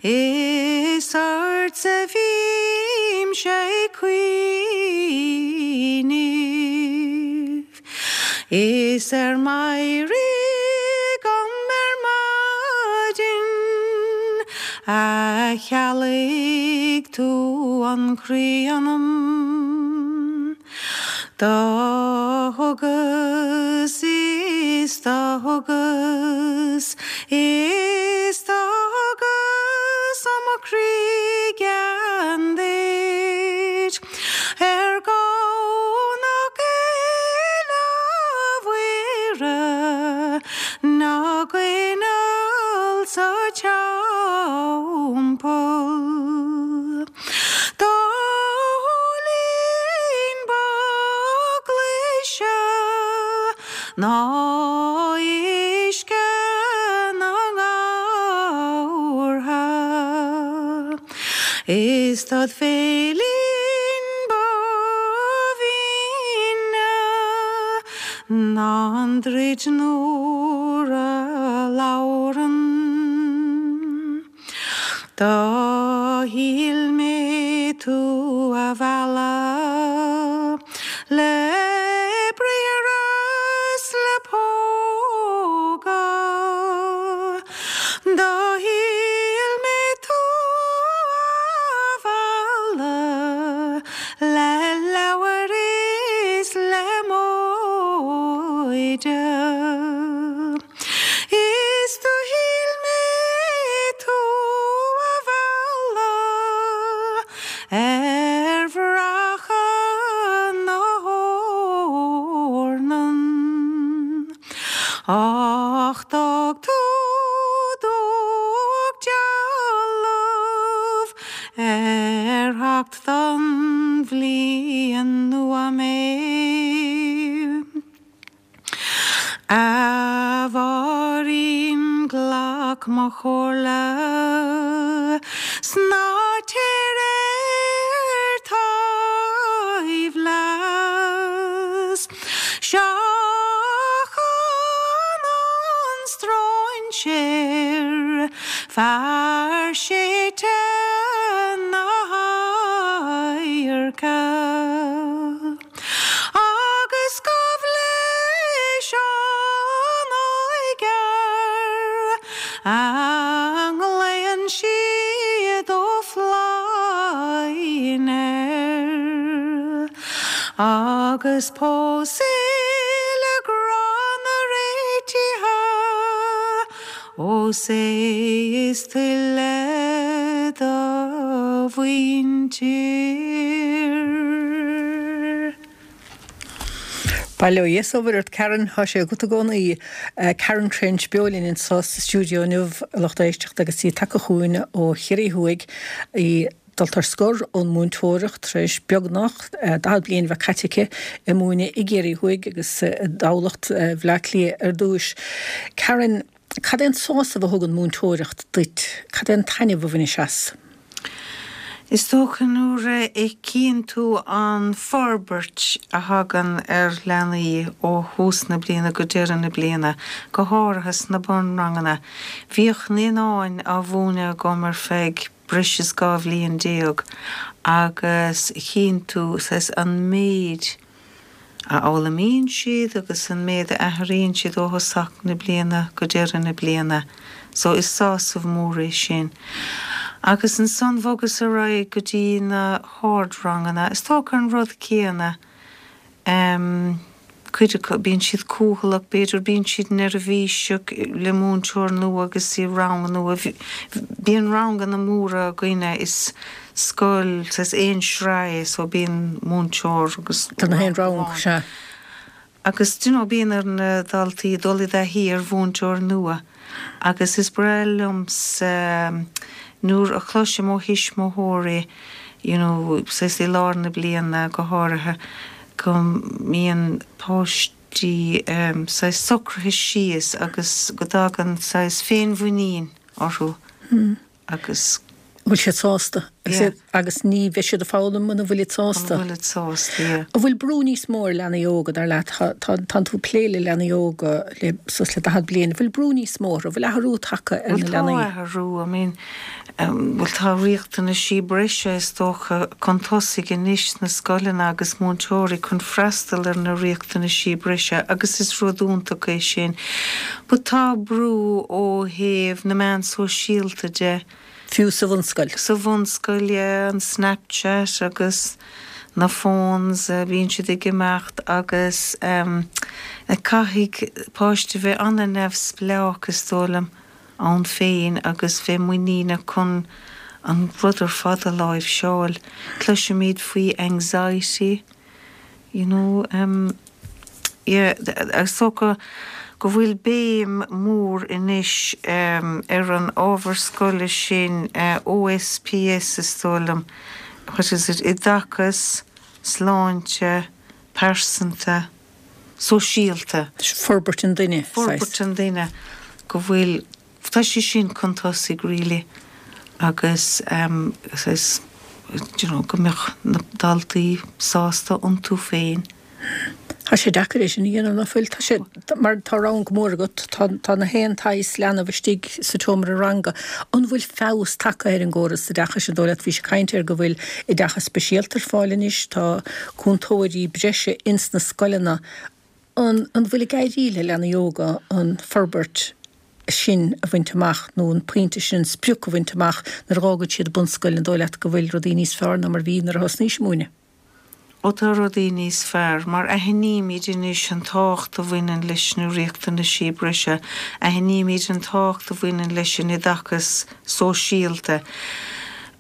is ortsa bhímse ag cuimhneamh, is ar m'éirí agam ar maidin, a chealaigh tú an croí ionam. Do thugas is do thugas is do thugas ó mo chroí gean duit ar Dhomhnach Fhéile Mhuire na gcoinneal sa teampall. Do shúilín ba ghlaise ná uisce na nGabhartha, is dod bhéilín ba bhinne ná an druid nuair a labhrann. Do shíl mé tú a mhealladh le briathra 's le póga. Do shíl mé tú a mhealladh le leabhar is le móide. Is do shíl mé tú a mhealladh ar bhracha na heornan, Ach d'fhág tú dubhach dealbh ar theacht don bhliain nua mé. A Mháirín glac mo chomhairle 's ná téir ar taobh leat. Seachain an stróinséir, fear séidte na hadhairce. Agus gabh leis an oighear a nglaonn siad Ó Floinn air, agus pós é le grá na réitithe, ós é is tuile do mhuintir. Bail ó Dhia 's ó Mhuire ort Karen, thá sé agat i gcónaí. Karen Trench beo linn anseo sa stiúideo inniu, a lucht éisteachta, agus í tagtha chugainn ó Chiarraí Thuaidh, í dulta ar scor ón múinteoireacht tar éis beagnach 40 bliain a bheith caite aici ag múineadh i gCiarraí Thuaidh agus i dTamhlacht, Bhaile Átha Cliath ar dtúis. Karen, cad é an sásamh a thugann múinteoireacht duit? Cad é an taitneamh a bhainis as? Is dócha nuair a fheicíonn tú an forbairt a thagann ar leanaí ó thús na bliana go deireadh na bliana, go háirithe sna bunranganna. Bhíodh naíonáin á mhúineadh agam ar feadh breis is 12 bhliain agus chíonn tú saghas an méid a fhoghlaimíonn siad agus an méid a athraíonn siad ó thosach na bliana go deireadh na bliana. So is sásamh mór é sin. Agus ansan bhogas ar aghaidh go dtí na hardranganna. Is dócha an rud céanna. Em, cuid acu, bíonn siad cúthaileach, b'fhéidir, bíonn siad neirbhíseach le múinteoir nua agus i rang nua. Bíonn ranganna móra againne, is scoil, saghas aon sraith é so bíonn múinteoir agus Tá na haon rang rang, sea. Agus do you know bíonn ar na daltaí dul i dtaithí ar mhúinteoir nua agus is breá liomsa nuair a chloisim ó thuismitheoirí you know saghas i lár na bliana go háirithe go mbíonn páistí saghas socraithe síos agus go dtagann saghas féinmhuinín orthu agus. bhfuil siad sásta. Yeah. Agus ní bheidh siad ag foghlaim muna bhfuilid sásta. Muna bhfuilid sásta, yeah. An bhfuil brú níos mó ar leanaí óga, dar leat? Tá, tánn tú ag plé le leanaí óga le suas le 40 bliain. An bhfuil brú níos mó orthu? An bhfuil athrú tagtha ar na leanaí? Bhuel, tá athrú. I mean, bhuel, tá riachtanaisí breise, is dócha, chun tosaigh anois sna scoileanna agus múinteoirí chun freastal ar na riachtanaisí breise agus is rud iontach é sin. But tá brú ó thaobh na meán sóisialta de. Fiú sa bhunscoil. Sa bhunscoil, yeah, an Snapchat agus Na phones, bíonn siad ag imeacht agus caithfidh páiste bheith an-neamhspleách is dóigh liom ann féin agus bheith muiníneach chun an rud ar fad a láimhseáil. Cloisimid faoi anxiety. You know, yeah, is dócha go bhfuil béim mhór anois ar an ábhar scoile sin, OSPS is dóigh liom, what is it, oideachas, sláinte, pearsanta, sóisialta. Forbairt an duine, saghas. Forbairt an duine, go bhfuil Tá sé sin chun tosaigh really agus saghas you know go mbeadh na daltaí sásta iontu féin. Tá sé deacair é sin a dhéanamh, ná fuil? Tá sé, mar tá rang mór agat, tá, tá na haon tsaghas leanbh istigh sa tseomra ranga. An bhfuil feabhas tagtha ar an gcóras oideachais an dóigh leat? Bhís ag caint ar go bhfuil oideachas speisialta ar fáil anois, tá cúntóirí breise ins na scoileanna. An bhfuil ag éirí le leanaí óga an forbairt sin a bhaint amach nó an pointe sin, an sprioc a bhaint amach nuair a dh'fhágann siad bunscoil? An dóigh leat go bhfuil rudaí níos fearr ná mar a bhí nuair a thosnaís ag múineadh? Ó tá rudaí níos fearr, mar aithnímid anois an tábhacht a bhaineann leis na riachtanaisí breise, aithnímid an tábhacht a bhaineann leis an oideachas sóisialta.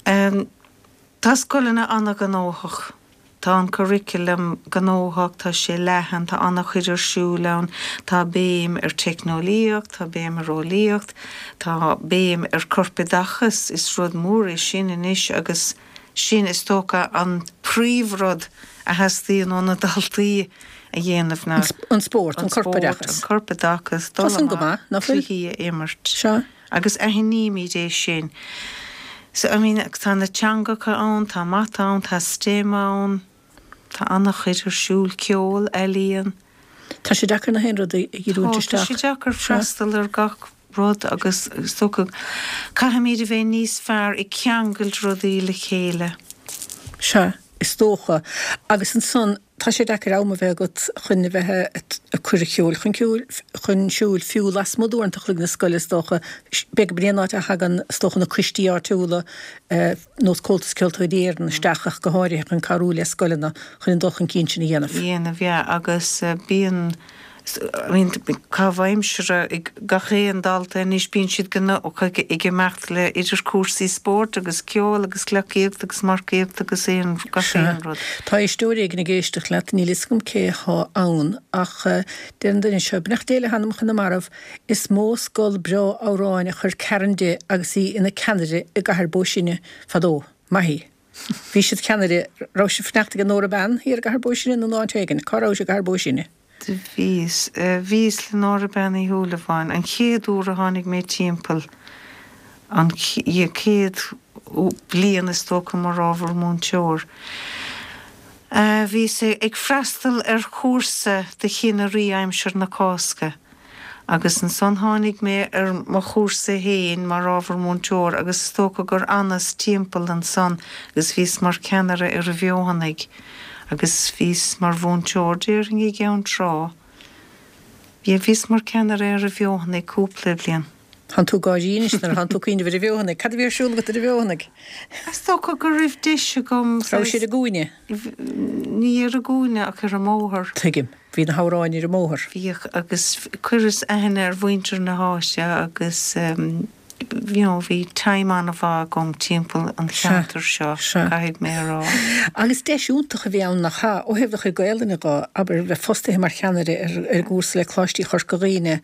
Tá scoileanna an-ghnóthach. Tá an curriculum gnóthach, tá sé leathan, tá an-chuid ar siúl ann, tá béim ar teicneolaíocht, tá béim ar eolaíocht, tá béim ar corpoideachas, is rud mór é sin anois agus sin is dócha an príomhrud a theastaíonn ó na daltaí a dhéanamh ná An spórt, an corpoideachas. an corpoideachas, dul amach, cluichí a imirt. Sea. Agus aithnímid é sin. So, I mean, tá na teangacha ann, tá mata ann, tá STEM ann, tá an-chuid ar siúl, ceol, ealaíon. Tá sé deacair na haon rud a dhíriúint isteach. Tá sé deacair freastal ar gach rud agus is dócha caithfimid a bheith níos fearr ag ceangailt rudaí le chéile. Sea, is dócha. Agus ansan, Tá sé deacair am a bheith agat chun a bheith ag cur an cheoil chun ceoil, chun siúil, fiú lasmuigh d'uaireanta chloig na scoile is dócha. B'fhéidir gurb in é an áit a thagann, is dócha, na coistí áitiúla, nós Comhaltas Ceoltóirí Éireann, isteach ach go háirithe chun cabhrú le scoileanna chun an dul chun cinn sin a dhéanamh. dhéanamh, yeah, agus bíonn. I mean, caitheamh aimsire ag gach aon dalta anois, bíonn siad gnóthach ag imeacht le idir cúrsaí spóirt agus ceol agus gleacaíocht agus marcaíocht agus aon, gach aon rud. Tá éisteoir éigin ag éisteacht leat, níl fhios agam cé thá ann, ach deir an duine seo, Beannacht Dé le hanamcha na marbh, is mó scoil breá amhráin a chuir Karen di agus í ina ceannaire i gCathair Bó Sine fadó. Maith í. Bhí siad ceannaire, raibh sibh fanacht ag Nóra Bean thiar i gCathair Bó Sine nó in áit éigin? Cá rabhais i gCathair Bó Sine? Do bhíos. Bhíos le Nóra Bean Uí Shúilleabháin an chéad uair a tháinig mé timpeall, an chéad bhliain is dócha mar ábhar múinteoir. Bhíos ag freastal ar chúrsa do cheannairí aimsir na Cásca agus ansan tháinig mé ar mo chúrsa fhéin mar ábhar múinteoir agus is dócha gur fhanas timpeall ansan agus bhíos mar cheannaire ar an bhFeothanaigh. Agus bhíos mar mhúinteoir, déarfainn, i gCeann Trá. Yeah, bhíos mar ceannaire ar an bhFeothanaigh cúpla bliain. Thánn tú ag gáirí anois nuair a thánn tú ag cuimhneamh ar an bhFeothanaigh. Cad a bhí ar siúl agat ar an bhFeothanaigh? Is dócha go raibh deis agam. Raibh siad ar an gcúinne? Ní ar an gcúinne ach ar an mbóthar. Tuigim. Bhí na hamhráin ar an mbóthar. Bhíodh agus chuireas aithne ar mhuintir na háite agus you know bhí time an-mhaith agam timpeall an cheantair seo, caithfidh mé a rá. Agus deis iontach a bhí ann nach ea, ó thaobh do chuid Gaelainne dho, abair, bheith fostaithe mar cheannaire ar an gcúrsa le Coláistí Chorca Dhuibhne,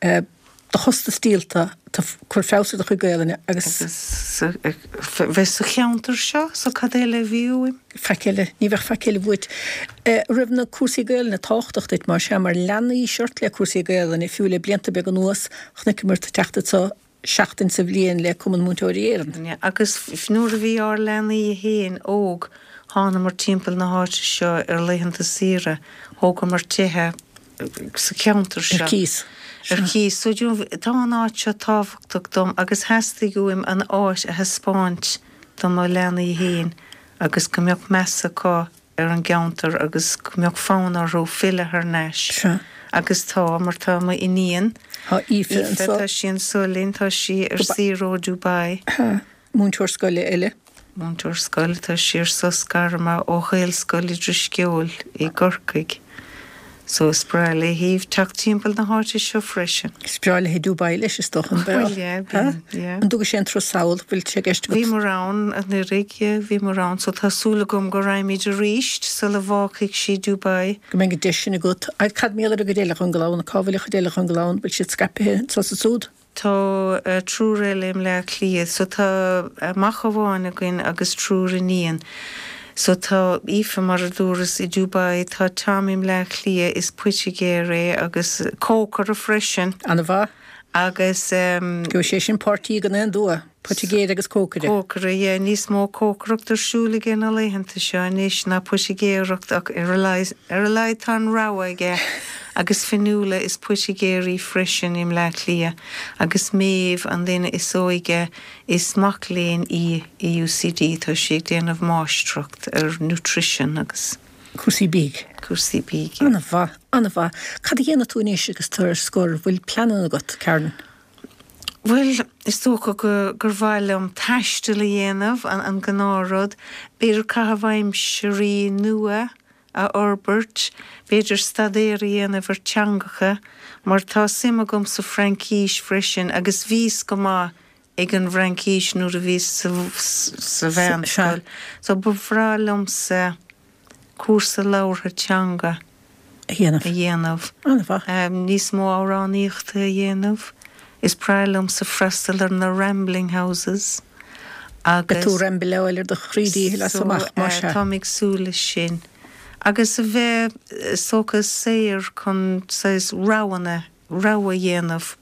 do chostas díolta, tú ag cur feabhas ar do chuid Gaelainne agus. Agus bheith sa cheantar seo, so cad eile a bhí uaim? Faic eile, ní bheadh faic eile uait. Raibh na cúrsaí Gaelainne tábhachtach duit, más ea, mar leanaís ort le cúrsaí Gaelainne, fiú le blianta beaga anuas, Chonaiceamar tú ag teacht anso seachtain sa bhliain le Cumann Múinteoirí Éireann. Agus nuair a bhí ár leanaí fhéin óg, thánamar timpeall na háite seo ar laethanta saoire, thógamar tithe sa cheantar seo. Ar cíos. Ar cíos. So, do you know, tá an áit seo tábhachtach dom agus theastaigh uaim an áit a thaispeáint do mo leanaí fhéin agus go mbeadh meas acu ar an gceantar agus go mbeadh fonn orthu filleadh thar n-ais. Sea. Agus tá, mar tá mo iníon, Tá Aoife anseo. Tá sí anso linn, tá sí ar saoire ó Dubai. Múinteoir scoile eile. Múinteoir scoile, tá sí ar sos gairme ó Ghaelscoil Drisceoil i gCorcaigh. So is breá léi teacht timpeall na háite seo freisin. Is breá léi Dubai leis is dócha, an bhfuil? Bhuel yeah, bíonn, yeah. An dtugaidh sé an turas sall, bhfuil sé i gceist agat? Bhíomar ann anuraidh, yeah, bhíomar ann so tá súil agam go raghaimid arís sula bhfágfaidh sí Dubai. Go mbeidh an deis sin agat. Cad mar gheall ar an gcuid eile den gclann? Cá bhfuil an chuid eile den gclann? Bhfuil siad scaipthe anso is ansúd? Tá triúr eile i mBleá Cliath. So tá mac amháin againn agus triúr iníon. So tá Aoife, mar a dúras, i Dubai, tá Tom i mBleá Cliath, is poitigéir é agus cócaire freisin. Ana-mhaith. Agus. Gheobhaidh sé sin páirtí gan aon dua. Poitigéir agus cócaire. Cócaire, yeah. Níos mó cócaireacht ar siúl aige na laethanta seo anois ná poitigéireacht ach ar a laghad, ar a laghad tá an rogha aige. Agus Fionnuala, is poitigéir í freisin i mBleá Cliath. Agus Méabh, an duine is óige, is mac léinn í i UCD, tá sí ag déanamh máistreacht ar nutrition agus. Cúrsaí bídh. Cúrsaí bídh, yeah. An-mhaith, an-mhaith. Cad a dhéanfaidh tú anois agus tú ar scor? Bhfuil pleananna agat, Karen? Bhuel, is dócha go, gur mhaith liom taisteal a dhéanamh, an gnáthrud. B'fhéidir caitheamh aimsirí nua a fhorbairt, b'fhéidir staidéar a dhéanamh ar teangacha, mar tá suim agam sa Fhraincis freisin agus bhíos go maith ag an bhFraincis nuair a bhíos sa mheánscoil. So ba bhreá liomsa cúrsa labhartha teanga a dhéanamh. a dhéanamh. An-mhaith. Níos mó amhránaíochta a dhéanamh. Is breá liomsa freastal ar na rambling houses agus. Beidh tú ag rambleáil ar do chroí díchill as amach, más ea. Táim ag súil leis sin. Agus a bheith, is dócha, saor chun saghas roghanna, rogha a dhéanamh.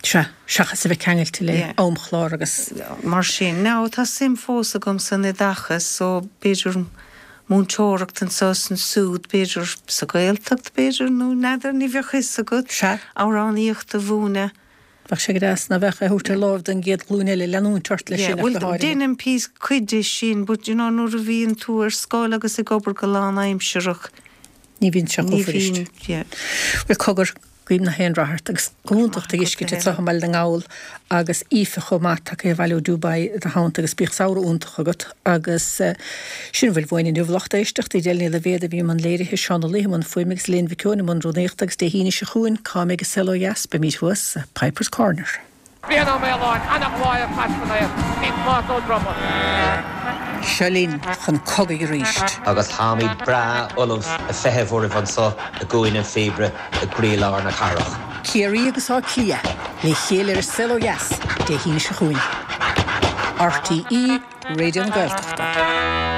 Sea, seachas a bheith ceangailte le amchlár agus. mar sin. Now, tá suim fós agam san oideachas so b'fhéidir múinteoireacht anseo is ansúd, b'fhéidir sa Ghaeltacht, b'fhéidir, nó n'fheadar, ní bheadh fhios agat. Sea. Amhránaíocht a mhúineadh. Bheadh sé go deas, ná bheadh, é a thabhairt ar láimh don gcéad ghlúin eile, leanúint ort leis sin ach go háirithe. Bhuel, déanaim píosa, cuid de sin but you know nuair a bhíonn tú ar scoil agus ag obair go lánaimsearach, Ní bhíonn sé chomh fuirist. Bhuel, cogar, guím nach aon rath ort agus go hiontach tú a fheiscint anseo i mBaile na nGall agus Aoife chomh maith tagtha abhaile ó Dubai i do theannta agus bíodh samhradh iontach agat agus sin a bhfuil uainn inniu lucht éisteachta Edel Ní Loibhéad a bhí i mbun léirithe, Seán Ó Laoithe i mbun fuaime agus Elaine Mhic Eoin i mbun rúnaíochta agus Dé hAoine seo chugainn cá mbeidh an saol ó dheas? Beimid thuas sa Pipers Corner. Brian Ó Maoláin, ana-ghlaio ar Chaisleán air, bhí Tomás Ó Droma. Seo linn chun cogaidh arís. Agus táimid breá ullamh a feitheamh oraibh anso i gCúinne an Phíobaire i gcroílár na cathrach. Ciarraí agus Áth Cliath le chéile ar An Saol Ó Dheas Dé hAoine seo chugainn. RTÉ Raidió na Gaeltachta.